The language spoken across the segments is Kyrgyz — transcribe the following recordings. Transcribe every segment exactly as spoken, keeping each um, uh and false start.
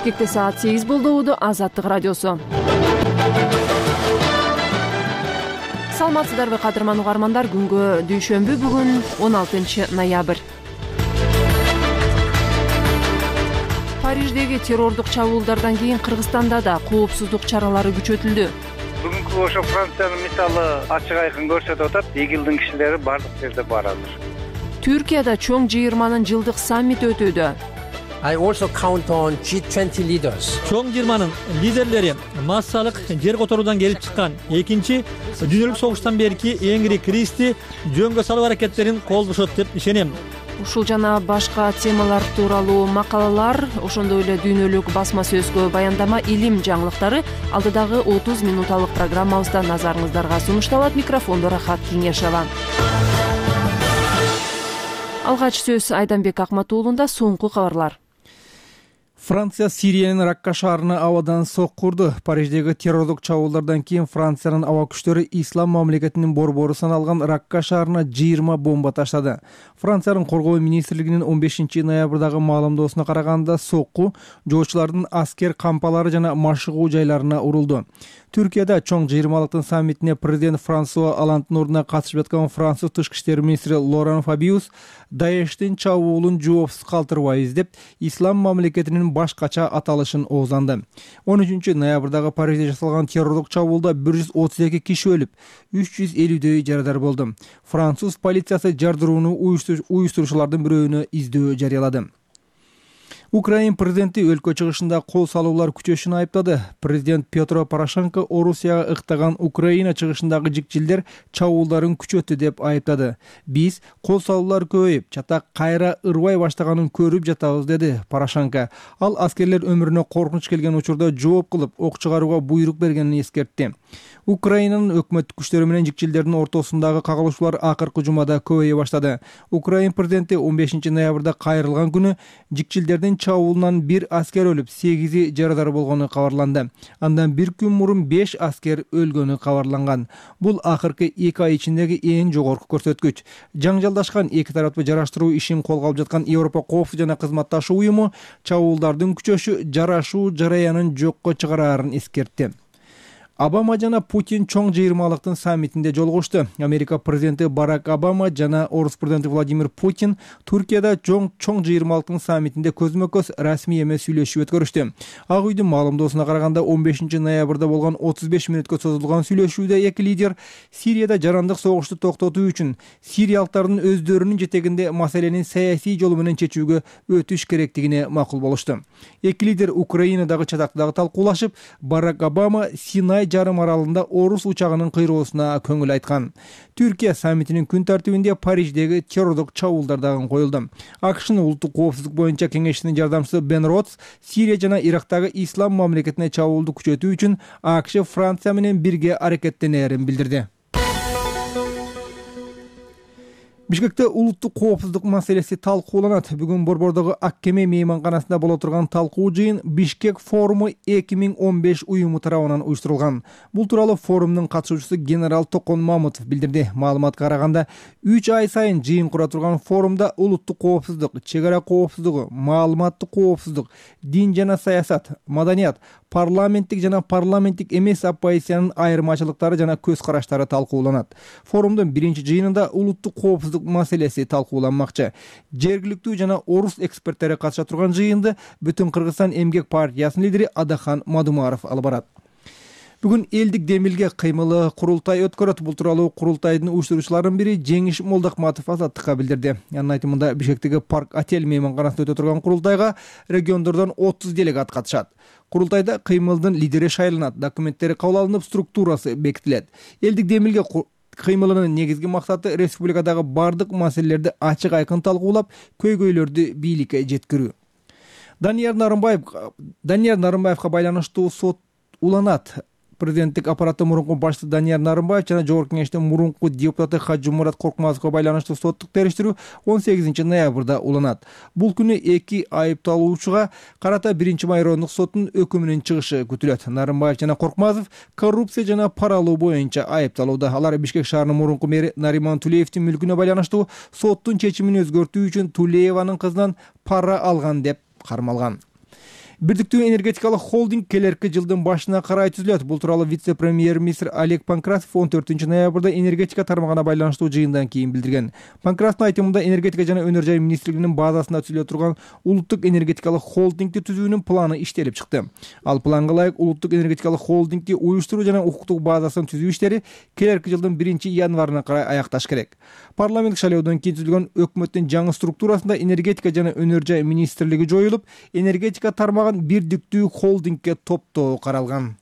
Бишкекте саат сегиз болду. Уду Азаттык радиосу. Саламатсыздарбы кадырман угармандар? Күнгө дүйшөмбү, бүгүн он алтынчы ноябрь. Париждеги террордук чабуулдардан кийин Кыргызстанда да коопсуздук чаралары күчөтүлдү. Бүгүнкү ошо Франциянын мисалы ачык айкын көрсөтүп атат. ИГИЛдин кишилери бардык жерде бар азыр. Түркияда чоң жыйырманын жылдык саммити өтүүдө. I also count on G twenty leaders. Чоң жыйырманын лидерлери массалык жер которуудан келип чыккан экинчи дүйнөлүк согуштан берки эң ири кризисти жөнгө салуу аракеттерин колдошот деп ишенем. Ушул жана башка темалар тууралуу макалалар, ошондой эле дүйнөлүк басма сөзгө баяндама, илим жаңылыктары алдыдагы отуз минуталык программабызда назарыңыздарга сунушталат. Микрофондо Рахат Кеңешова. Алгач сөз Айданбек Акматуулунда. Соңку кабарлар. Франция Сириянын Ракка шаарына абадан сокку урду. Париждеги террордук чабуулдардан кийин Франциянын аба күчтөрү ислам мамлекетинин борбору саналган Ракка шаарына жыйырма бомба таштады. Франциянын коргоо министрлигинин он бешинчи ноябрдагы маалымдоосуна караганда, сокку жоочулардын аскер кампалары жана машыгуу жайларына урулду. Түркияда чоң жыйырмалыктын саммитине президент Франсуа Олланддын ордуна катышып жаткан француз тышкы иштер министри Лоран Фабиус Даештин чабуулун жоопсуз калтырбайбыз деп ислам мамлекетинин башкача аталышын оозданды. он үчүнчү ноябрдагы Парижде жасалган террордук чабуулда бир жүз отуз эки киши өлүп, үч жүз элүүдөй жарадар болду. Француз полициясы жардырууну уюштуруучулардын бирөөнө издөө жарыялады. Украин президенти өлкө чыгышында кол салуулар күчөшүн айыптады. Президент Петро Порошенко Орусияга ыктаган Украина чыгышындагы жикчилдер чабуулдарын күчөттү деп айыптады. Биз кол салуулар көбөйүп, чатак кайра ырбай баштаганын көрүп жатабыз, деди Порошенко. Ал аскерлер өмүрүнө коркунуч келген учурда жооп кылып, ок чыгарууга буйрук бергенин эскертти. Украинанын өкмөттүк күчтөрү менен жикчилдердин ортосундагы кагылышуулар акыркы жумада көбөйө баштады. Украин президенти он бешинчи ноябрда кайрылган күнү жикчилдердин чабуулунан бир аскер өлүп, сегизи жарадар болгону кабарланды. Андан бир күн мурун беш аскер өлгөнү кабарланган. Бул акыркы эки ай ичиндеги эң жогорку көрсөткүч. Жаңжалдашкан эки тараптуу жараштыруу ишин колго алып жаткан Европа коопсуздук жана кызматташуу уюму чабуулдардын күчөшү жарашуу жараянын жокко чыгарарын эскертти. Обама жана Путин чоң жыйырмалыктын саммитинде жолугушту. Америка президенти Барак Обама жана Орус президенти Владимир Путин Түркияда чоң чоң жыйырмалыктын саммитинде көзмө-көз расмий эмес сүйлөшүү өткөрүштү. Ак үйдүн маалымдоосуна караганда, он бешинчи ноябрда болгон отуз беш мүнөткө созулган сүйлөшүүдө эки лидер Сирияда жарандык согушту токтотуу үчүн сириялыктардын өздөрүнүн жетегинде маселени саясий жол менен чечүүгө өтүш керектигине макул болушту. Эки лидер Украинадагы чатактагы талкуулашып, Барак Обама Синай жарым аралында Орус учагынын кыйроосуна көңүл айткан. Түркия саммитинин күн тартибинде Париждеги террордук чабуулдар дагы коюлду. АКШнын улуттук коопсуздук боюнча кеңешчинин жардамчысы Бен Ротс Сирия жана Ирактагы ислам мамлекетине чабуулду күчөтүү үчүн АКШ Франция менен бирге аракеттенерин билдирди. Бишкекте улуттук коопсуздук маселеси талкууланат. Бүгүн Борбордогу Ак кеме мейманканасында боло турган талкуу жыйын Бишкек форуму эки миң он беш уюму тарабынан уюштурулган. Бул тууралуу форумдун катышуучусу генерал Токон Мамутов билдирди. Маалыматка караганда, үч ай сайын жыйын кура турган форумда улуттук коопсуздук, чек ара коопсуздугу, маалыматтык коопсуздук, дин жана саясат, маданият, парламенттик жана парламенттик эмес оппозициянын айырмачылыктары жана көз караштары талкууланат. Форумдун биринчи жыйынында улуттук коопсуздук маселеси талкууланмакчы. Жергиликтүү жана орус эксперттери катыша турган жыйынды Бүтүн Кыргызстан эмгек партиясынын лидери Адахан Мадумаров алып барат. Бүгүн элдик демилге кыймылы курултай өткөрөт. Бул тууралуу курултайдын уюштуруучуларынын бири Жеңиш Молдокматов Азаттыкка билдирди. Анын айтымында, Бишкектеги Парк Отель мейманканасында өтө турган курултайга региондордон отуз делегат катышат. Курултайда кыймылдын лидери шайланат, документтери кабыл алынып, структурасы бекитилет. Элдик демилге кыймылынын негизги максаты республикадагы бардык маселелерди ачык айкын талкуулап, көйгөйлөрдү бийликке жеткирүү. Данияр Нарымбаев Данияр Нарымбаевга байланыштуу сот уланат. Президенттик аппараттын мурунку башчысы Данияр Нарымбаев жана Жогорку Кеңештин мурунку депутаты Хажымурат Коркмазовго байланыштуу соттук териштирүү он сегизинчи ноябрда уланат. Бул күнү эки айыпталуучуга карата биринчи майрондук соттун өкүмүнүн чыгышы күтүлөт. Нарымбаев жана Коркмазов коррупция жана пара алуу боюнча айыпталууда. Алар Бишкек шаарынын мурунку мэри Нариман Тулеевдин мүлкүнө байланыштуу соттун чечимин өзгөртүү үчүн Тулееванын кызынан пара алган деп кармалган. Бирдиктүү энергетикалык холдинг келерки жылдын башына карай түзүлөт. Бул тууралуу вице-премьер-министр Олег Панкратов он төртүнчү ноябрда энергетика тармагына байланыштуу жыйындан кийин билдирген. Панкратовдун айтымында энергетика жана өнөр жай министрлигинин базасында түзүлө турган улуттук энергетикалык холдингди түзүүнүн планы иштелип чыкты. Ал планга ылайык улуттук энергетикалык холдингди уюштуруу жана укуктук базасын түзүү иштери келерки жылдын биринчи январына карай аякташ керек. Парламент шайлоодон кийин түзүлгөн өкмөттүн жаңы структурасында энергетика жана өнөр жай министрлиги жоюлуп, энергетика тармагын бирдиктүү холдингге топтоо каралган.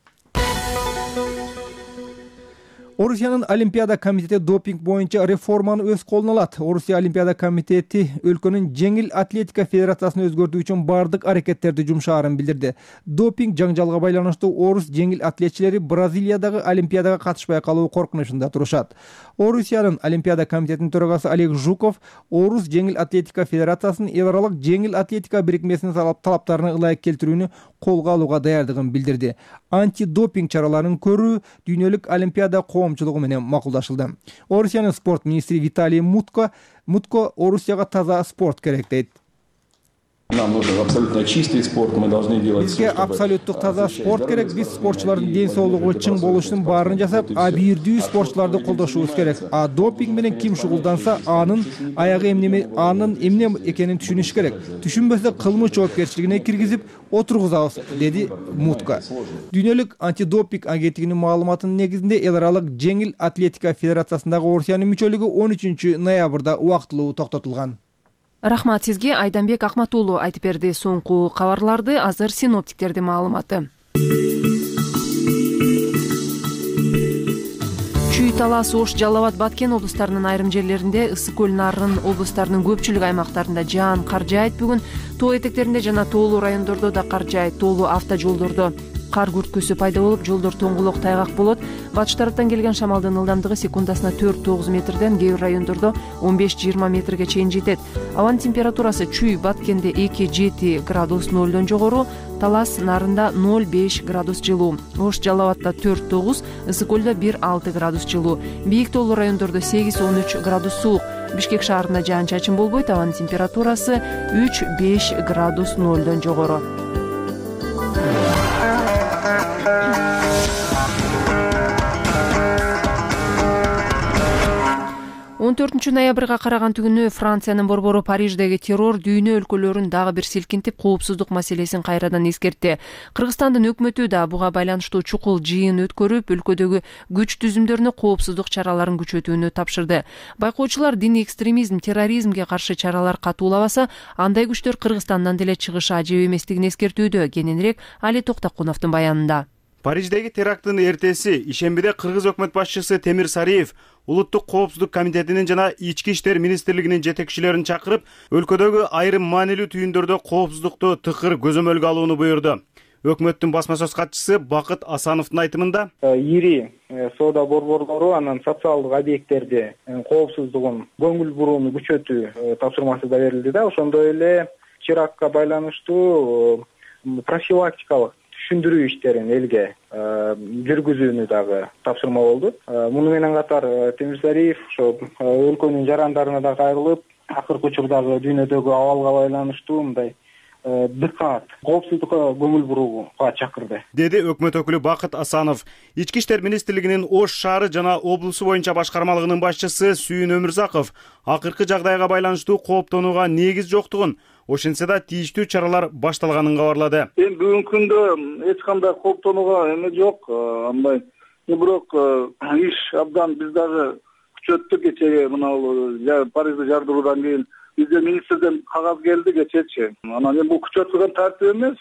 Орусиянын Олимпиада комитети допинг боюнча реформаны өз колуна алат. Орусия Олимпиада комитети өлкөнүн жеңил атлетика федерациясын өзгөртүү үчүн бардык аракеттерди жумшаарын билдирди. Допинг жаңжалга байланыштуу орус жеңил атлетчилери Бразилиядагы Олимпиадага катышпай калуу коркунучунда турушат. Орусиянын Олимпиада комитетинин төрагасы Олег Жуков орус жеңил атлетика федерациясынын эл аралык жеңил атлетика бирикмесинин талаптарына ылайык келтирүүнү колго алууга даярдыгын билдирди. Антидопинг чараларын көрүү дүйнөлүк Олимпиада коомчулугу менен макулдашылды. Орусиянын спорт министри Виталий Мутко Мутко Орусияга таза спорт керек дейт. Нам нужен абсолютно чистый спорт, мы должны делать Бизге абсолюттук таза спорт керек. Биз спортчулардын ден соолугу чың болушунун баарын жасап, абийирдүү спортчуларды колдошубуз керек. А допинг менен ким шугулданса, анын аягы эмне анын эмне экенин түшүнүш керек. Түшүнбөсө кылмыш жоопкерчилигине киргизип отургузабыз, деди Мутко. Дүйнөлүк антидопинг агенттигинин маалыматынын негизинде эл аралык жеңил атлетика федерациясындагы Орусиянын мүчөлүгү он үчүнчү ноябрда убактылуу токтотулган. Рахмат сизге. Айданбек Акмат уулу айтып берди. Соңку кабарларды азыр синоптиктердин маалыматы. Чүй, Талас, Ош, Жалал Абад, Баткен облустарынын айрым жерлеринде, Ысык көл, Нарын облустарынын көпчүлүк аймактарында жаан, кар жаайт. Бүгүн тоо этектеринде жана тоолуу райондордо да кар жаайт. Тоолуу автожолдордо кар күрткүсү пайда болуп, жолдор тоңгулок, тайгак болот. Батыш тараптан келген шамалдын ылдамдыгы секундасына төрт тогуз метрден, кээ бир райондордо он беш жыйырма метрге чейин жетет. Абанын температурасы Чүй, Баткенде эки жети градус нолдон жогору, Талас, Нарында ноль беш градус жылуу, Ош, Жалал Абадда төрт тогуз, Ысык көлдө бир алты градус жылуу, бийик тоолуу райондордо сегиз он үч градус суук. Бишкек шаарында жаан чачын болбойт, абанын температурасы үч беш градус нолдон жогору. он төртүнчү ноябрга караган түнү Франциянын борбору Париждеги террор дүйнө өлкөлөрүн дагы бир силкинтип, коопсуздук маселесин кайрадан эскертти. Кыргызстандын өкмөтү да буга байланыштуу чукул жыйын өткөрүп, өлкөдөгү күч түзүмдөрүнө коопсуздук чараларын күчөтүүнү тапшырды. Байкоочулар диний экстремизм, терроризмге каршы чаралар катуулабаса, андай күчтөр Кыргызстандан деле чыгышы ажеп эместигин эскертүүдө. Кененирээк Али Токтокуновдун баянында. Париждеги теракттын эртеси ишембиде кыргыз өкмөт башчысы Темир Сариев Улуттук коопсуздук комитетинин жана Ички иштер министрлигинин жетекчилерин чакырып, өлкөдөгү айрым маанилүү түйүндөрдө коопсуздукту тыкыр көзөмөлгө алууну буйрду. Өкмөттүн басма сөз катчысы Бакыт Асановдун айтымында, ири соода борборлору анан социалдык объекттерде коопсуздугун көңүл бурууну күчөтүү тапшырмасы да берилди да. Ошондой эле терактка байланыштуу профилактикалык түшүндүрүү иштерин элге жүргүзүүнү дагы тапшырма болду. Муну менен катар Темир Сариев ошо өлкөнүн жарандарына да кайрылып, акыркы учурдагы дүйнөдөгү абалга байланыштуу мындай дыкат, коопсуздукка көңүл бурууга чакырды, деди өкмөт өкүлү Бакыт Асанов. Ички иштер министрлигинин Ош шаары жана облусу боюнча башкармалыгынын башчысы Сүйүн Өмүрзаков акыркы жагдайга байланыштуу кооптонууга негиз жоктугун, ошентсе да тийиштүү чаралар башталганын кабарлады. Эми бүгүнкү күндө эч кандай кооптонууга эме жок, андай. Бирок иш абдан биз дагы күчөттүк. Кечеге мына Парижде жардыруудан кийин бизде министрден кагаз келди кечечи. Анан эми бул күчөтүлгөн тартип эмес,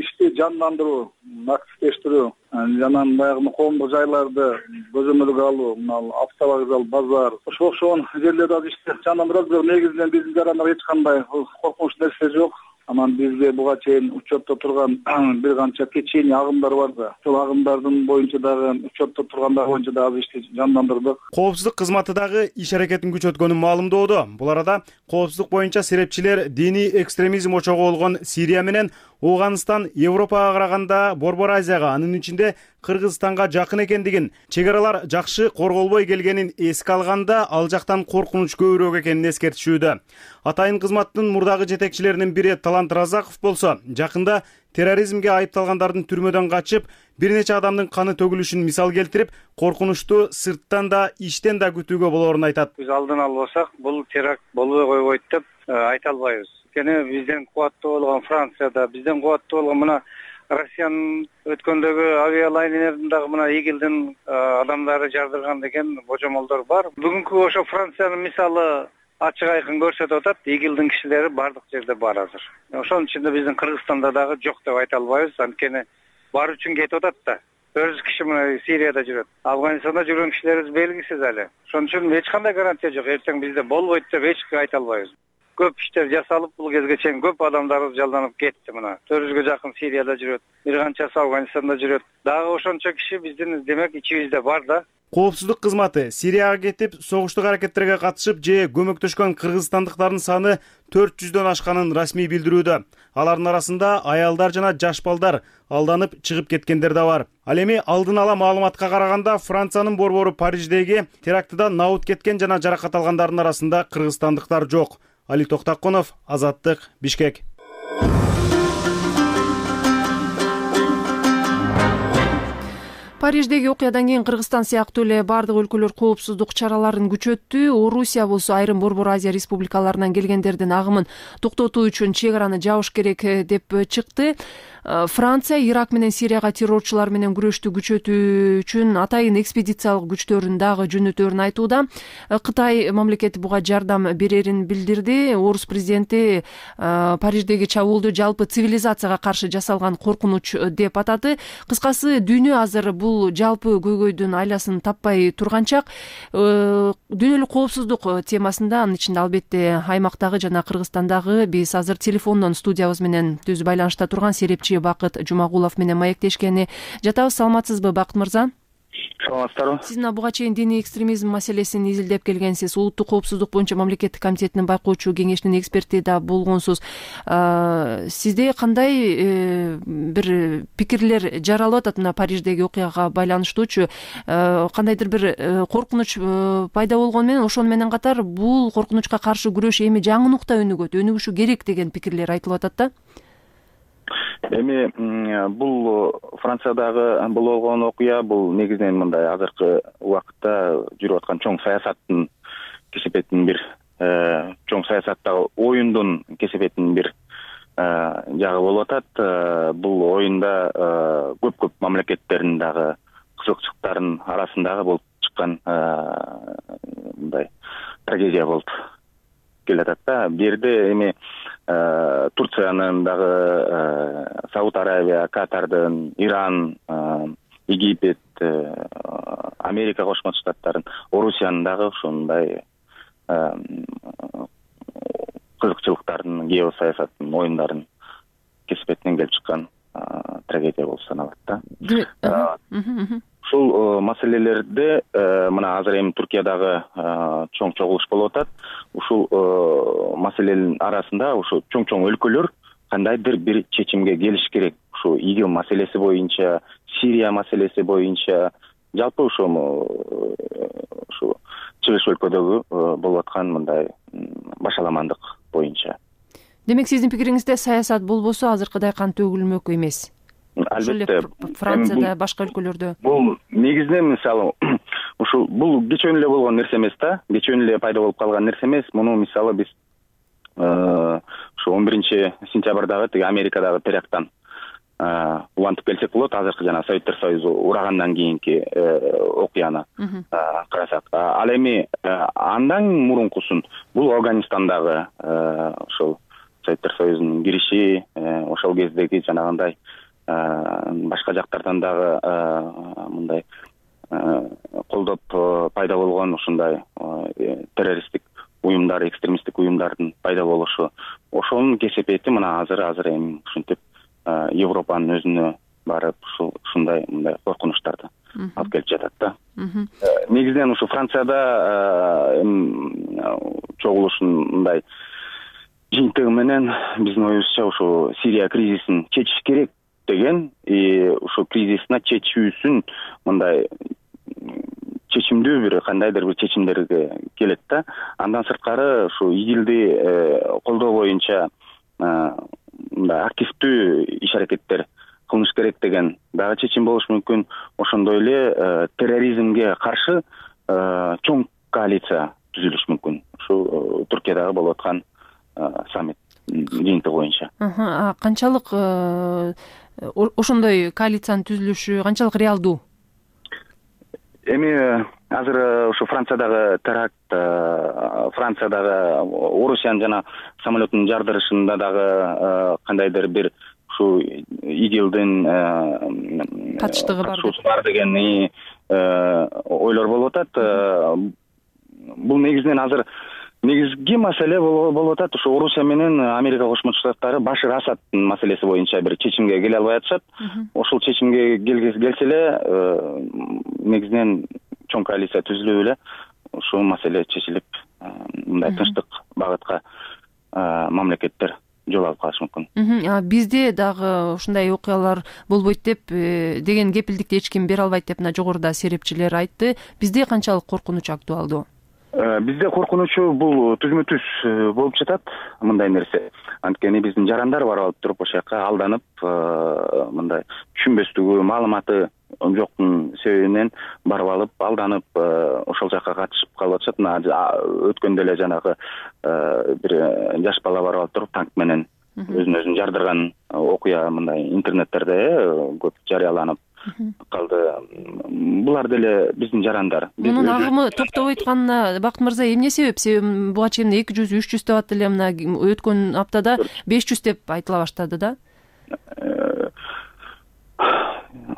ишти жандандыруу, активдештирүү, анан баягы коомдук жайларды көзөмөлгө алуу, мына автовокзал, базар, ошо окшогон жерлерде ишти жандандырабыз. Бирок негизинен биздин жарандар эч кандай коркунуч нерсе жок. Анан бизде буга чейин учетто турган бир канча кечээний агымдар бар да. Ошол агымдардын боюнча дагы учетто тургандар боюнча дагы ишти жандандырдык. Коопсуздук кызматы дагы иш аракетин күчөткөнүн маалымдоодо. Бул арада коопсуздук боюнча серепчилер диний экстремизм очогу болгон Сирия менен Ооганстан Европага караганда Борбор Азияга, анын ичинде Кыргызстанга жакын экендигин, чек аралар жакшы корголбой келгенин эске алганда ал жактан коркунуч көбүрөөк экенин эскертишүүдө. Атайын кызматтын мурдагы жетекчилеринин бири Талант Разаков болсо, жакында терроризмге айыпталгандардын түрмөдөн качып, бир нече адамдын каны төгүлүшүн мисал келтирип, коркунучту сырттан да, иштен да күтүүгө болоорун айтат. Биз алдын албасак, бул теракт болбой койбойт деп айта албайбыз. Анткени бизден кубаттуу болгон Францияда, бизден кубаттуу болгон мына Россиянын өткөндөгү авиалайнерин дагы мына игилдин адамдары жардырган деген божомолдор бар. Бүгүнкү ошо Франциянын мисалы ачык айкын көрсөтүп атат, игилдин кишилери бардык жерде бар азыр. Ошонун ичинде биздин Кыргызстанда дагы жок деп айта албайбыз, анткени бар үчүн кетип атат да. Өз киши мына Сирияда жүрөт. Афганистанда жүргөн кишилерибиз белгисиз эле. Ошон үчүн эч кандай гарантия жок. Эртең бизде болбойт деп эчке айта албайбыз. Көп иштер жасалып, бул кезге чейин көп адамдарыбыз жалданып кетти мына. төрт жүзгө жакын Сирияда жүрөт, бир канчасы Афганистанда жүрөт. Дагы ошончо киши биздин демек ичибизде бар да. Коопсуздук кызматы Сирияга кетип, согуштук аракеттерге катышып же көмөктөшкөн кыргызстандыктардын саны төрт жүздөн ашканын расмий билдирүүдө. Алардын арасында аялдар жана жаш балдар алданып чыгып кеткендер да бар. Ал эми алдын ала маалыматка караганда Франциянын борбору Париждеги терактыда набут кеткен жана жаракат алгандардын арасында кыргызстандыктар жок. Али Токтакунов, Азаттык, Бишкек. Париждеги окуядан кийин Кыргызстан сыяктуу эле бардык өлкөлөр коопсуздук чараларын күчөттү. Орусия болсо айрым Борбор Азия республикаларынан келгендердин агымын токтотуу үчүн чек араны жабыш керек деп чыкты. Франция Ирак менен Сирияга террорчулар менен күрөштү күчөтүү үчүн атайын экспедициялык күчтөрүн дагы жөнөтөөрүн айтууда. Кытай мамлекети буга жардам берерин билдирди. Орус президенти Париждеги чабуулду жалпы цивилизацияга каршы жасалган коркунуч деп атады. Кыскасы дүйнө азыр бул жалпы көйгөйдүн айласын таппай турганчак. Дүйнөлүк коопсуздук темасында, анын ичинде албетте аймактагы жана Кыргызстандагы биз азыр телефондон студиябыз менен түз байланышта турган серепчи Бакыт Жумагулов менен маектешкени жатабыз. Саламатсызбы, Бакыт мырза? Саламатсыздарбы. Сиз буга чейин диний экстремизм маселесин изилдеп келгенсиз. Улуттук коопсуздук боюнча мамлекеттик комитетинин байкоочу кеңешинин эксперти да болгонсуз. Сизде кандай бир пикирлер жаралып атат мына Париждеги окуяга байланыштуучу? Кандайдыр бир коркунуч пайда болгону менен, ошону менен катар бул коркунучка каршы күрөш эми жаңы нукта өнүгөт, өнүгүшү керек деген пикирлер айтылып атат да. Эми бул Франциядагы бул болгон окуя бул негизинен мындай азыркы убакытта жүрүп аткан чоң саясаттын кесепетинин бир чоң саясаттагы оюндун кесепетинин бир жагы болуп атат. Бул оюнда көп-көп мамлекеттердин дагы кызыкчылыктарынын арасындагы болуп чыккан мындай трагедия болуп келатат да. Бул жерде эми Турциянын дагы, Сауд Аравия, Катардын, Иран, Египет, Америка Кошмо Штаттарын, Орусиянын дагы ушундай кызыкчылыктардын, геосаясаттын оюндарын кесепетинен келип чыккан трагедия болуп саналат да. Ушул маселелерде мына азыр эми Туркиядагы чоң чогулуш болуп атат. Ушул маселенин арасында ушу чоң-чоң өлкөлөр кандайдыр бир чечимге келиш керек. Ушу ИГИЛ маселеси боюнча, Сирия маселеси боюнча, жалпы ушу ушу чыгыш өлкөдөгү болуп аткан мындай башаламандык боюнча. Демек, сиздин пикириңизде саясат болбосо азыркыдай кан төгүлмөк эмес. Албетте, Францияда, башка өлкөлөрдө. Бул негизинен мисалы ушул бул кечөөнү эле болгон нерсе эмес да. Кечөөнү эле пайда болуп калган нерсе эмес. Муну мисалы биз ушу он биринчи сентябрдагы тиги Америкадагы теракттан улантып келсек болот. Азыркы жана Советтер Союзу урагандан кийинки окуяны карасак. Ал эми андан мурункусун бул Афганистандагы ошол Советтер Союзунун кириши, ошол кездеги жанагындай башка жактардан дагы мындай колдоп пайда болгон ушундай террористтик уюмдар, экстремисттик уюмдардын пайда болушу, ошонун кесепети мына азыр азыр эми ушинтип Европанын өзүнө барып ушундай мындай коркунучтарды алып келип жатат да. Негизинен ушу Францияда чогулуштун мындай жыйынтыгы менен биздин оюбузча ошо Сирия кризисин чечиш керек деген, ошо кризисин чечүүсүн мындай чечимдүү бир кандайдыр бир чечимдерге келет да. Андан сырткары ушу ИГИЛди колдоо боюнча мындай активдүү иш аракеттер кылыныш керек деген дагы чечим болушу мүмкүн. Ошондой эле терроризмге каршы чоң коалиция түзүлүшү мүмкүн. Ушу Туркиядагы болуп аткан саммит жыйынтыгы боюнча. Канчалык ошондой коалициянын түзүлүшү канчалык реалдуу? Эми азыр ушу Франциядагы теракт, Франциядагы Орусиянын жана самолетунун жардырышында дагы кандайдыр бир ушу ИГИЛдин катыштыгы бар деген ойлор болуп атат. Бул негизинен азыр негизги маселе болуп атат. Ушу Орусия менен Америка Кошмо Штаттары Башар Асаддын маселеси боюнча бир чечимге келе албай атышат. Ошол чечимге келсе эле негизинен чоң коалиция түзүлүп эле ушул маселе чечилип, мындай тынчтык багытка мамлекеттер жол алып калышы мүмкүн. Бизде дагы ушундай окуялар болбойт деп деген кепилдикти эч ким бере албайт деп мына жогоруда серепчилер айтты. Бизде канчалык коркунуч актуалдуу? Бизде коркунучу бул түзмө-түз болуп жатат мындай нерсе. Анткени биздин жарандар барып алып туруп ошол жака алданып, мындай түшүнбөстүгү, маалыматы жоктун себебинен барып алып, алданып ошол жака катышып калып атышат. Өткөндө эле жанагы бир жаш бала барып алып туруп танк менен өзүн өзүн жардырган окуя мындай интернеттерде көп жарыяланып калды. Булар деле биздин жарандар. Мунун агымы токтобой атканына Бакыт мырза эмне себеп? Себеби буга чейин эки жүз үч жүз деп аттылы, мына өткөн аптада беш жүз деп айтыла баштады да.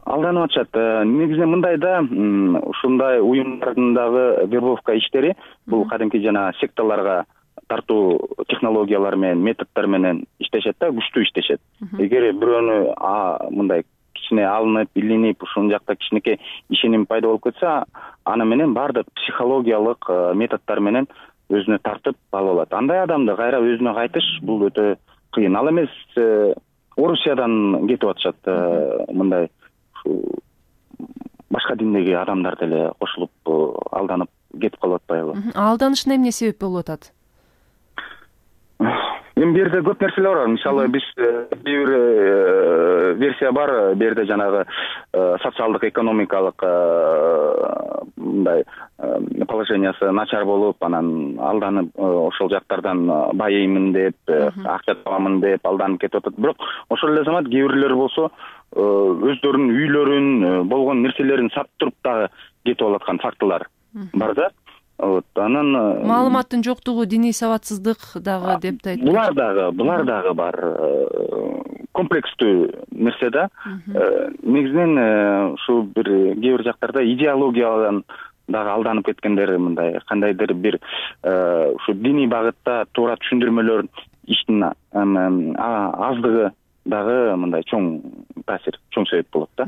Алданып атышат. Негизинен мындай да, ушундай уюмдардын дагы вербовка иштери бул кадимки жана секталарга тартуу технологиялар менен, методдор менен иштешет да, күчтүү иштешет. Эгер бирөөнү мындай кичине алынып, илинип, ушун жакта кичинекей ишеним пайда болуп кетсе, аны менен баардык психологиялык методдор менен өзүнө тартып алып алат. Андай адамды кайра өзүнө кайтыш бул өтө кыйын. Ал эмес Орусиядан кетип атышат, мындай башка диндеги адамдар деле кошулуп алданып кетип калып атпайбы? Алданышына эмне себеп болуп атат? Эми бу жерде көп нерселер бар. Мисалы, биз бир версия бар, бу жерде жанагы социалдык, экономикалык мындай положениясы начар болуп, анан алданып ошол жактардан байыймын деп, акча табамын деп алданып кетип атат. Бирок ошол эле замат кээ бирлер болсо өздөрүнүн үйлөрүн, болгон нерселерин сатып туруп дагы кетип алаткан фактылар бар да. Вот, анан маалыматтын жоктугу, диний сабатсыздык дагы деп да айтты. Булар дагы, булар дагы бар. Комплекстүү нерсе да. Негизинен ушу бир кээ бир жактарда идеологиядан дагы алданып кеткендер, мындай кандайдыр бир ушу диний багытта туура түшүндүрмөлөр иштин аздыгы дагы мындай чоң таасир, чоң себеп болот да.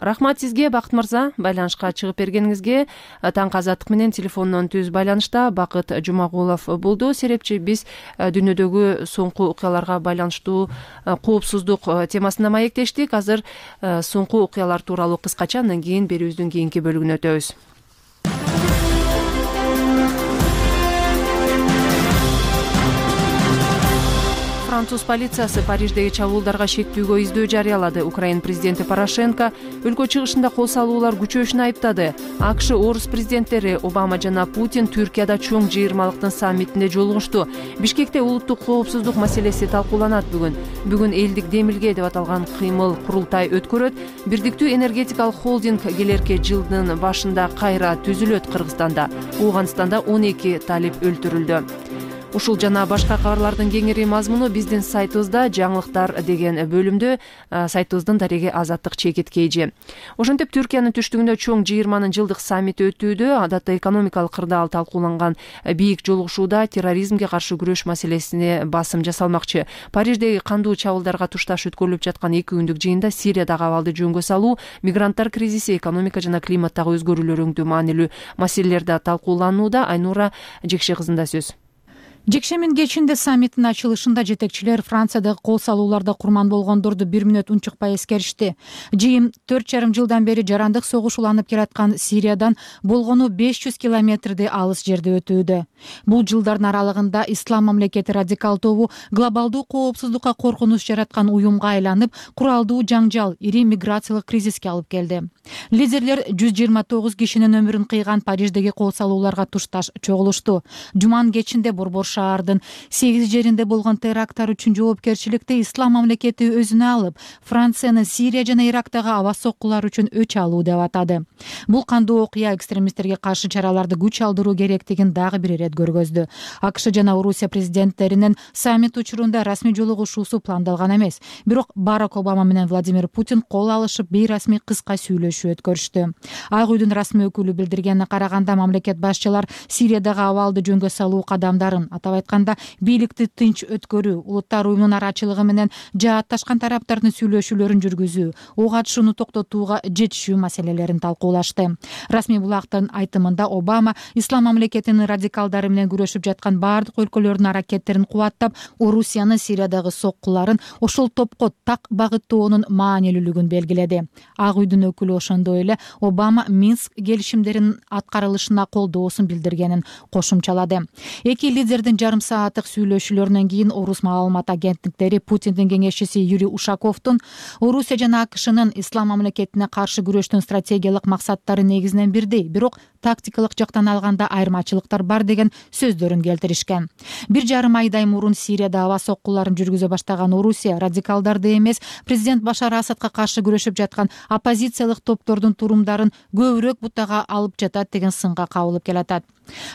Рахмат сизге, Бакыт мырза, байланышка чыгып бергениңизге. Таңкы азаттык менен телефондон түз байланышта Бакыт Жумагулов болду. Серепчи, биз дүйнөдөгү соңку окуяларга байланыштуу коопсуздук темасына маектештик. Азыр соңку окуялар тууралуу кыскача, андан кийин берүүбүздүн кийинки бөлүгүнө өтөбүз. Француз полициясы Париждеги чабуулдарга шектүүгө издөө жарыялады. Украин президенти Порошенко өлкө чыгышында кол салуулар күчөшүн айыптады. АКШ орус президенттери Обама жана Путин Түркияда чоң жыйырмалыктын саммитинде жолугушту. Бишкекте улуттук коопсуздук маселеси талкууланат бүгүн. Бүгүн элдик демилге деп аталган кыймыл курултай өткөрөт. Бирдиктүү энергетикалык холдинг келерки жылдын башында кайра түзүлөт Кыргызстанда. Ооганстанда он эки талип өлтүрүлдү. Ушул жана башка кабарлардын кеңири мазмуну биздин сайтыбызда жаңылыктар деген бөлүмдө, сайтыбыздын дареги азаттык чекит кейжи. Ошентип Түркиянын түштүгүндө чоң жыйырманын жылдык саммити өтүүдө, адатта экономикалык кырдаал талкууланган бийик жолугушууда терроризмге каршы күрөш маселесине басым жасалмакчы. Париждеги кандуу чабуулдарга тушташ өткөрүлүп жаткан эки күндүк жыйында Сириядагы абалды жөнгө салуу, мигранттар кризиси, экономика жана климаттагы өзгөрүүлөр өңдүү маанилүү маселелерде талкууланууда. Айнура Жекше кызында сөз. Жекшембинин кечинде саммиттин ачылышында жетекчилер Франциядагы кол салууларда курман болгондорду бир мүнөт унчукпай эскеришти. Жыйын төрт жарым жылдан бери жарандык согуш уланып келаткан Сириядан болгону беш жүз километрдей алыс жерде өтүүдө. Бул жылдардын аралыгында Ислам мамлекети радикал тобу глобалдуу коопсуздукка коркунуч жараткан уюмга айланып, куралдуу жаңжал, ири миграциялык кризиске алып келди. Лидерлер жүз жыйырма тогуз кишинин өмүрүн кыйган Париждеги кол салууларга тушташ чогулушту. Жуманын кечинде Борбор шаардын сегиз жеринде болгон теракттар үчүн жоопкерчиликти Ислам мамлекети өзүнө алып, Францияны Сирия жана Ирактагы аба соккулар үчүн өч алуу деп атады. Бул кандуу окуя экстремисттерге каршы чараларды күч алдыруу керектигин дагы бир ирет көргөздү. АКШ жана Орусия президенттеринин саммит учурунда расмий жолугушуусу пландалган эмес. Бирок Барак Обама менен Владимир Путин кол алышып, бейрасмий кыска сүйлөшүү өткөрүштү. Ак үйдүн расмий өкүлү билдиргенине караганда, мамлекет башчылар Сириядагы абалды жөнгө салуу кадамдарын, атап айтканда бийликти тынч өткөрүү, улуттар уюмунун арачылыгы менен жаатташкан тараптардын сүйлөшүүлөрүн жүргүзүү, ок атышууну токтотууга жетишүү маселелерин талкуулашты. Расмий булактын айтымында Обама Ислам мамлекетинин радикалдары менен күрөшүп жаткан бардык өлкөлөрдүн аракеттерин кубаттап, Орусияны Сириядагы соккуларын ошол топко так багыттоонун маанилүүлүгүн белгиледи. Ак үйдүн өкүлү ошондой эле Обама Минск келишимдеринин аткарылышына колдоосун билдиргенин кошумчалады. Эки лидердин жарым сааттык сүйлөшүүлөрүнөн кийин Орус маалымат агенттиктери Путиндин кеңешчиси Юрий Ушаковдун Орусия жана АКШнын Ислам мамлекетине каршы күрөштүн стратегиялык максаттары негизинен бирдей, бирок тактикалык жактан алганда айырмачылыктар бар деген сөздөрүн келтиришкен. Бир жарым айдай мурун Сирияда аба соккуларын жүргүзө баштаган Орусия радикалдарды эмес, президент Башар Асадка каршы күрөшүп жаткан оппозициялык топтордун турумдарын көбүрөөк бутага алып жатат деген сынга кабылып келатат.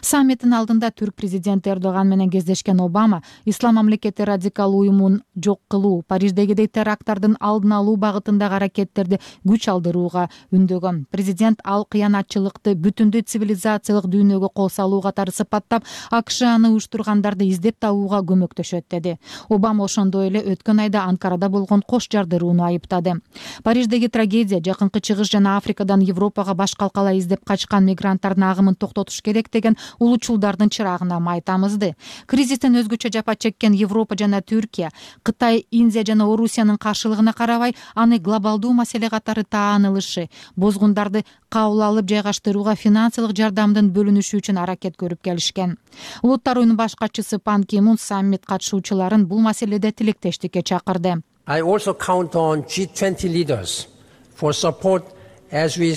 Саммиттин алдында түрк президенти Эрдоган менен кездешкен Обама Ислам мамлекети радикал уюмун жок кылуу, Париждегидей теракттардын алдын алуу багытындагы аракеттерди күч алдырууга үндөгөн. Президент ал кыянатчылыкты бүтүндөй цивилизациялык дүйнөгө кол салуу катары сыпаттап, АКШ аны уюштургандарды издеп табууга көмөктөшөт деди. Обама ошондой эле өткөн айда Анкарада болгон кош жардырууну айыптады. Париждеги трагедия, Жакынкы Чыгыш жана Африкадан Европага баш калкалай издеп качкан мигранттардын агымын токтотуш керек деген улуучулдардын чырагына май тамызды. Кризистен өзгөчө жапа чеккен Европа жана Түркия, Кытай, Индия жана Орусиянын каршылыгына карабай, аны глобалдуу маселе катары таанылышы, бозгундарды кабыл алып жайгаштырууга финансылык жардамдын бөлүнүшү үчүн аракет көрүп келишкен. Улуттар уюмунун баш катчысы Пан Ки Мун саммит катышуучуларын бул маселеде тилектештикке чакырды. I also count on G twenty leaders for support as we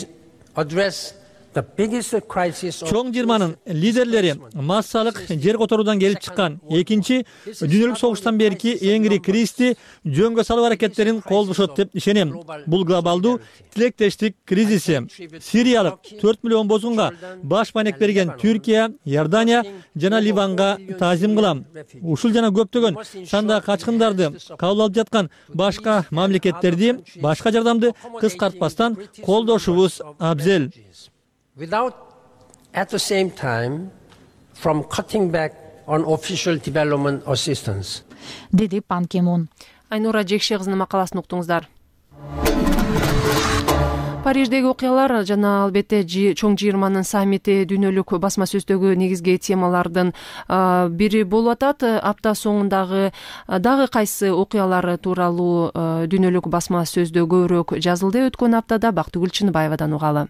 address Чоң жыйырманын лидерлери массалык жер которуудан келип чыккан экинчи дүйнөлүк согуштан берки эң ири кризисти жөнгө салуу аракеттерин колдошот деп ишенем. Бул глобалдуу тилектештик кризиси. Сириялык төрт миллион бозгунга баш маек берген Түркия, Иордания жана Ливанга таазим кылам. Ушул жана көптөгөн сандагы качкындарды кабыл алып жаткан башка мамлекеттерди башка жардамды кыскартпастан колдошубуз абзел. Without at the same time from cutting back on official development assistance. Деди Пан Ки Мун. Айнура Жекше кызынын макаласын уктуңуздар. Париждеги окуялар жана албетте чоң жыйырманын саммити дүйнөлүк басма сөздөгү негизги темалардын бири болуп атат. Апта соңундагы дагы кайсы окуялар тууралуу дүйнөлүк басма сөздө көбүрөөк жазылды. Өткөн аптада Бактыгүл Чыныбаевадан угалы.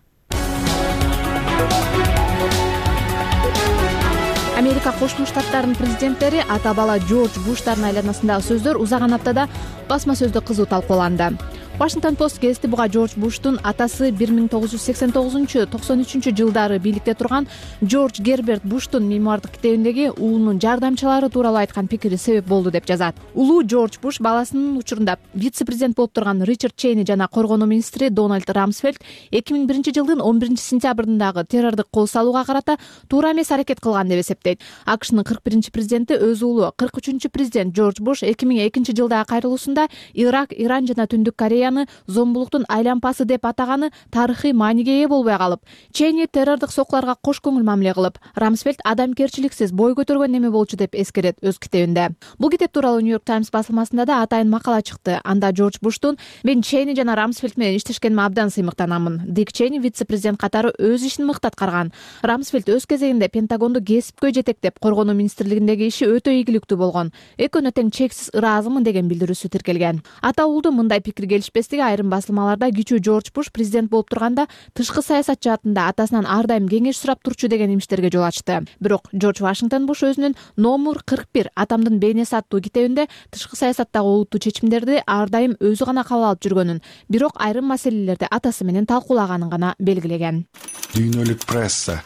Америка Кошмо Штаттарынын президенттери ата бала Джордж Буштардын айланасындагы сөздөр узаган аптада басма сөздө кызуу талкууланды. Washington Post гезити буга Джордж Буштун атасы бир миң тогуз жүз сексен тогузунчу — токсон үчүнчү жылдары бийликте турган Джордж Герберт Буштун мемуардык китебиндеги уулунун жардамчылары тууралуу айткан пикири себеп болду деп жазат. Улуу Джордж Буш баласынын учурунда вице-президент болуп турган Ричард Чейни жана коргонуу министри Дональд Рамсфелд эки миң биринчи жылдын он биринчи сентябрындагы террордук кол салууга карата туура эмес аракет кылган деп эсептейт. АКШнын кырк биринчи президенти өз уулу кырк үчүнчү президент Джордж Буш эки миң экинчи жылдагы кайрылуусунда Ирак, Иран жана Түндүк Корея Сирияны зомбулуктун айлампасы деп атаганы тарыхый мааниге ээ болбой калып, Чейни террордук сокуларга кош көңүл мамиле кылып, Рамсфельд адамгерчиликсиз бой көтөргөн неме болчу деп эскерет өз китебинде. Бул китеп тууралуу Нью-Йорк Таймс басылмасында да атайын макала чыкты. Анда Джордж Буштун "Мен Чейни жана Рамсфельд менен иштешкениме абдан сыймыктанамын. Дик Чейни вице-президент катары өз ишин мыкты аткарган. Рамсфельд өз кезегинде Пентагонду кесипкөй жетектеп, коргонуу министрлигиндеги иши өтө ийгиликтүү болгон. Экөөнө тең чексиз ыраазымын" деген билдирүүсү тиркелген. Ата уулду мындай пикир келишпестиги айрым басылмаларда кичүү Джордж Буш президент болуп турганда тышкы саясат жаатында атасынан ар дайым кеңеш сурап турчу деген имиштерге жол ачты. Бирок Джордж Вашингтон Буш өзүнүн номер кырк бир "Атамдын бейнеси" аттуу китебинде тышкы саясаттагы олуттуу чечимдерди ар дайым өзү гана кабыл алып жүргөнүн, бирок айрым маселелерди атасы менен талкуулаганын гана белгилеген. Дүйнөлүк пресса.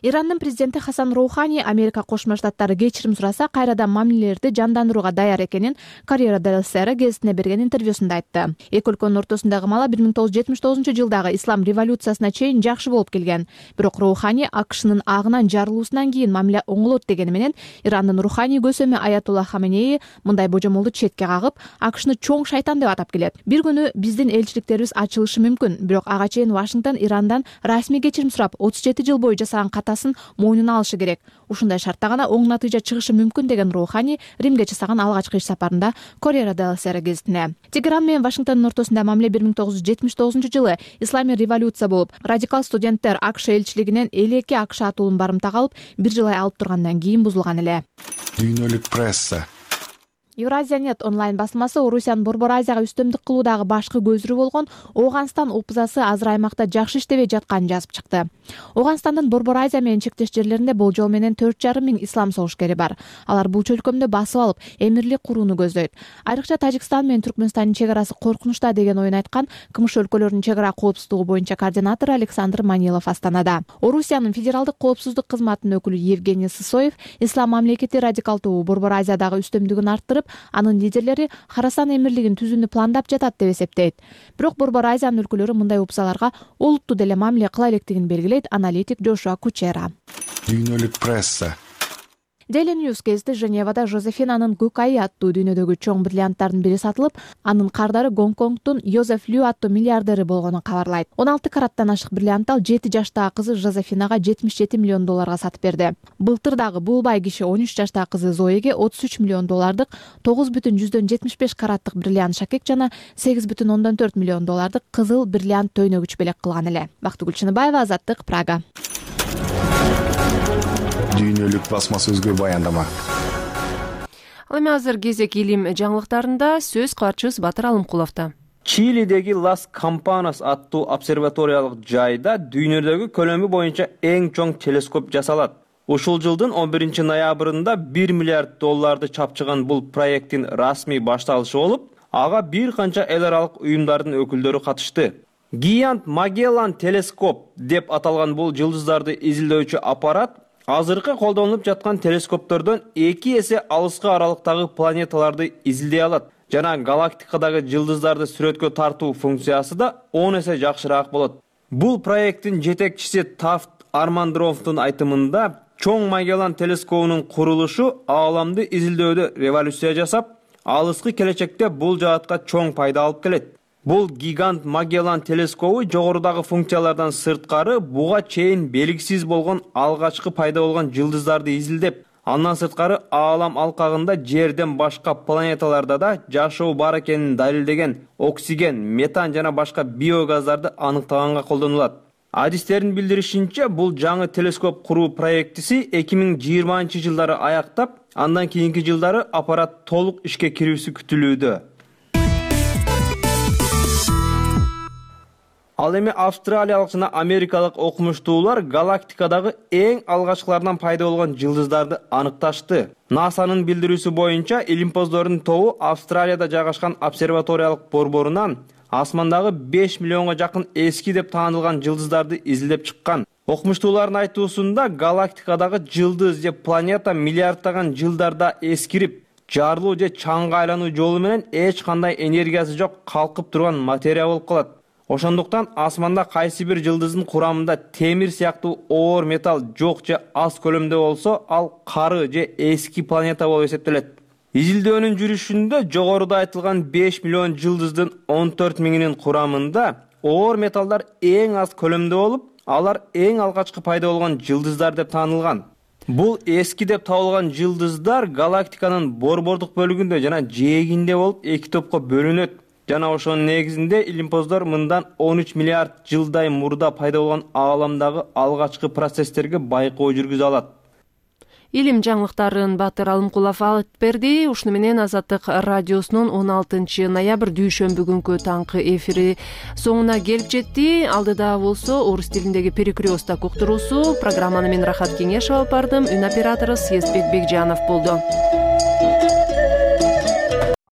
Ирандын президенти Хасан Роухани Америка Кошмо Штаттары кечирим сураса, кайрадан мамилелерди жандандырууга даяр экенин Corriere della Sera гезитине берген интервьюсунда айтты. Эки өлкөнүн ортосундагы мала бир миң тогуз жүз жетимиш тогузунчу жылдагы ислам революциясына чейин жакшы болуп келген. Бирок Роухани АКШнын агынан жарылуусунан кийин мамиле оңолот дегени менен Ирандын руханий көсөмү Аятулла Хаменеи мындай божомолду четке кагып, АКШны чоң шайтан деп атап келет. Бир күнү биздин элчиликтерибиз ачылышы мүмкүн, бирок ага чейин Вашингтон Ирандан расмий кечирим сурап отуз жети жыл бою жасаган мойнуна алышы керек. Ушундай шартта гана оң натыйжа чыгышы мүмкүн деген Роухани Римге жасаган алгачкы иш сапарында Corriere della Sera гезитине. Тегеран менен Вашингтондун ортосунда мамиле бир миң тогуз жүз жетимиш тогузунчу жылы исламий революция болуп, радикал студенттер АКШ элчилигинен элүү эки АКШ атуулун барымтага алып, бир жыл ай алып тургандан кийин бузулган эле. Дүйнөлүк пресса. Евразия.нет онлайн басылмасы Орусиянын Борбор Азияга үстөмдүк кылуудагы башкы көзүрү болгон Ооганстан опузасы азыр аймакта жакшы иштебей жатканын жазып чыкты. Ооганстандын Борбор Азия менен чектеш жерлеринде болжол менен төрт жарым миң ислам согушкери бар. Алар бул чөлкөмдү басып алып, эмирлик курууну көздөйт. Айрыкча Тажикстан менен Түркмөнстандын чек арасы коркунучта деген оюн айткан КМШ өлкөлөрүнүн чек ара коопсуздугу боюнча координатору Александр Манилов Астанада. Орусиянын федералдык коопсуздук кызматынын өкүлү Евгений Сысоев ислам мамлекети радикалдуу Борбор Азиядагы үстөмдүгүн арттырып, анын лидерлери Харасан эмирлигин түзүүнү пландап жатат деп эсептейт. Бирок Борбор Азиянын өлкөлөрү мындай опузаларга олуттуу деле мамиле кыла электигин белгилейт аналитик Джошуа Кучера. Дүйнөлүк пресса. Daily News гезити Женевада Жозефинанын көк айы аттуу дүйнөдөгү чоң бриллианттардын бири сатылып, анын кардары Гонконгдун Йозеф Лю аттуу миллиардери болгонун кабарлайт. он алты караттан ашык бриллиантты ал жети жаштагы кызы Жозефинага жетимиш жети миллион долларга сатып берди. Былтыр дагы бул бай киши он үч жаштагы кызы Зоеге отуз үч миллион доллардык тогуз бүтүн жүздөн жетимиш беш караттык бриллиант шакек жана сегиз бүтүн ондон төрт миллион доллардык кызыл бриллиант төйнөгүч белек кылган эле. Бактыгүл Чыныбаева, Азаттык, Прага. Дүйнөлүк басма сөзгө баяндама. Ал эми азыр кезек илим жаңылыктарында сөз кабарчыбыз Батыр Алымкуловдо. Чилидеги Лас Кампанас аттуу обсерваториялык жайда дүйнөдөгү көлөмү боюнча эң чоң телескоп жасалат. Ушул жылдын он биринчи ноябрында бир миллиард долларды чапчыган бул проекттин расмий башталышы болуп, ага бир канча эл аралык уюмдардын өкүлдөрү катышты. Гигант Магеллан телескоп деп аталган бул жылдыздарды изилдөөчү аппарат азыркы колдонулуп жаткан телескоптордон эки эсе алыска аралыктагы планеталарды изилдей алат жана галактикадагы жылдыздарды сүрөткө тартуу функциясы да он эсе жакшыраак болот. Бул проекттин жетекчиси Тафт Армандровдун айтымында, чоң Магеллан телескопунун курулушу ааламды изилдөөдө революция жасап, алыскы келечекте бул жаатка чоң пайда алып келет. Бул гигант Магеллан телескопу жогорудагы функциялардан сырткары буга чейин белгисиз болгон алгачкы пайда болгон жылдыздарды изилдеп, андан сырткары аалам алкагында жерден башка планеталарда да жашоо бар экенин далилдеген оксиген, метан жана башка биогаздарды аныктаганга колдонулат. Адистердин билдиришинче, бул жаңы телескоп куруу проектиси эки миң жыйырманчы жылдары аяктап, андан кийинки жылдары аппарат толук ишке кирүүсү күтүлүүдө. Ал эми австралиялык жана америкалык окумуштуулар галактикадагы эң алгачкылардан пайда болгон жылдыздарды аныкташты. НАСАнын билдирүүсү боюнча, илимпоздордун тобу Австралияда жайгашкан обсерваториялык борборунан асмандагы беш миллионго жакын эски деп таанылган жылдыздарды изилдеп чыккан. Окумуштуулардын айтуусунда, галактикадагы жылдыз же планета миллиарддаган жылдарда эскирип, жарылуу же чаңга айлануу жолу менен эч кандай энергиясы жок калкып турган материя болуп калат. Ошондуктан асманда кайсы бир жылдыздын курамында темир сыяктуу оор металл жок же аз көлөмдө болсо, ал кары же эски планета болуп эсептелет. Изилдөөнүн жүрүшүндө жогоруда айтылган беш миллион жылдыздын он төрт миңинин курамында оор металлдар эң аз көлөмдө болуп, алар эң алгачкы пайда болгон жылдыздар деп таанылган. Бул эски деп табылган жылдыздар галактиканын борбордук бөлүгүндө жана жээгинде болуп эки топко бөлүнөт. Жана ошонун негизинде илимпоздор мындан он үч миллиард жылдай мурда пайда болгон ааламдагы алгачкы процесстерге байкоо жүргүзө алат. Илим жаңылыктарын Батыр Алымкулов алып берди. Ушуну менен Азаттык радиосунун он алтынчы ноябрь дүйшөмбү күнкү таңкы эфири соңуна келип жетти. Алдыда болсо орус тилиндеги перекрёсток уктуруусу. Программаны мен Рахат Кеңешов алып бардым. Үн оператору Съездбек Бекжанов болду.